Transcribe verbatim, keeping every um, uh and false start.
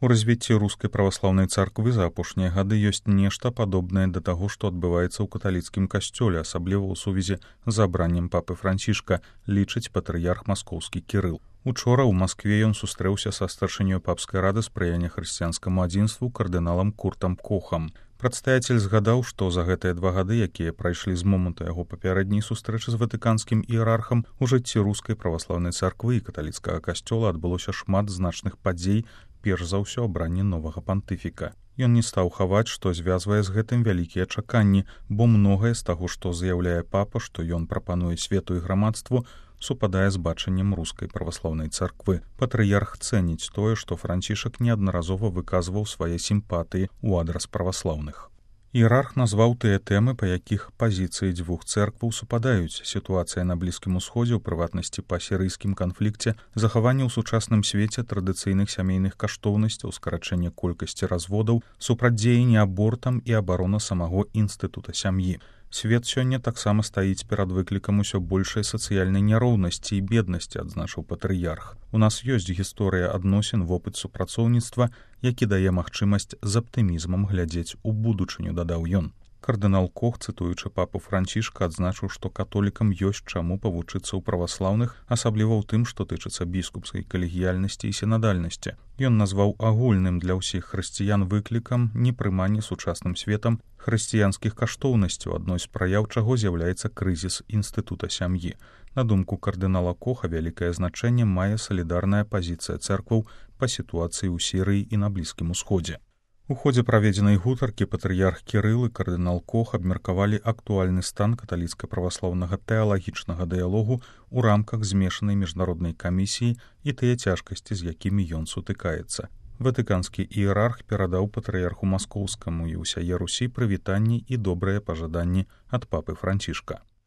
У развіцці рускай праваслаўнай царквы за апошнія гады ёсць нешта падобнае да таго, што адбываецца ў каталіцкім касцёле, асабліва ў сувязі з абраннем папы Францішка, лічыць патрыярх маскоўскі Кірыл. Учора ў Маскве ён сустрэўся са старшынёй папскай рады спрыяння хрысціянскаму адзінству кардыналам Куртам Кохам. Прадстаяцель згадаў, што за гэтыя два гады, якія прайшлі з моманту яго папярэдняй сустрэчы з ватыканскім іерархам, у жыцці рускай праваслаўнай царквы і каталіцкага касцёла адбылося шмат значных падзей, перш за ўсё абранне новага пантыфіка. Ён не стаў хаваць, што звязвае з гэтым вялікія чаканні, бо многае з таго, што заяўляе папа, што ён прапануе свету і грамадству, супадае з бачаннем рускай праваслаўнай царквы. Патрыярх цэніць тое, што Францішак неаднаразова выказваў свае сімпатыі ў адрас праваслаўных. Іерарх назваў тыя тэмы, па якіх пазіцыі дзвюх цэркваў супадаюць: сітуацыя на Блізкім Усходзе, у прыватнасці па сірыйскім канфлікце, захаванне ў сучасным свеце традыцыйных сямейных каштоўнасцяў, скарачэнне колькасці разводаў, супрацьдзеянне абортам і абарона самого інстытута сям'і. Свет сёння таксама стаіць перад выклікам усё большай сацыяльнай няроўнасці і беднасці, адзначыў патрыярх. У нас ёсць гісторыя адносін, вопыт супрацоўніцтва, які дае магчымасць з аптымізмам глядзець у будучыню, дадаў ён. Кардынал Кох, цытуючы папу Францішка, адзначыў, што католікам ёсць чаму павучыцца ў праваслаўных, асабліва ў тым, што тычыцца біскупскай калегіяльнасці і сінадальнасці. Ён назваў агульным для ўсіх хрысціян выклікам непрымання сучасным светам хрысціянскіх каштоўнасцяў, адной з праяў чаго з'яўляецца крызіс інстытута сям'і. На думку кардынала Коха, вялікае значэнне мае салідарная пазіцыя цэркваў па сітуацыі ў Сірыі і на Блізкім Усходзе. У ходзе праведзенай гутаркі патрыярх Кірыл і кардынал Кох абмеркавалі актуальны стан каталіцка-праваслаўнага тэалагічнага дыялогу ў рамках змешанай міжнароднай камісіі і тыя цяжкасці, з якімі ён сутыкаецца. Ватыканскі іерарх перадаў патрыярху маскоўскаму і ўсяе Русі прывітанні і добрыя пажаданні ад папы Францішка.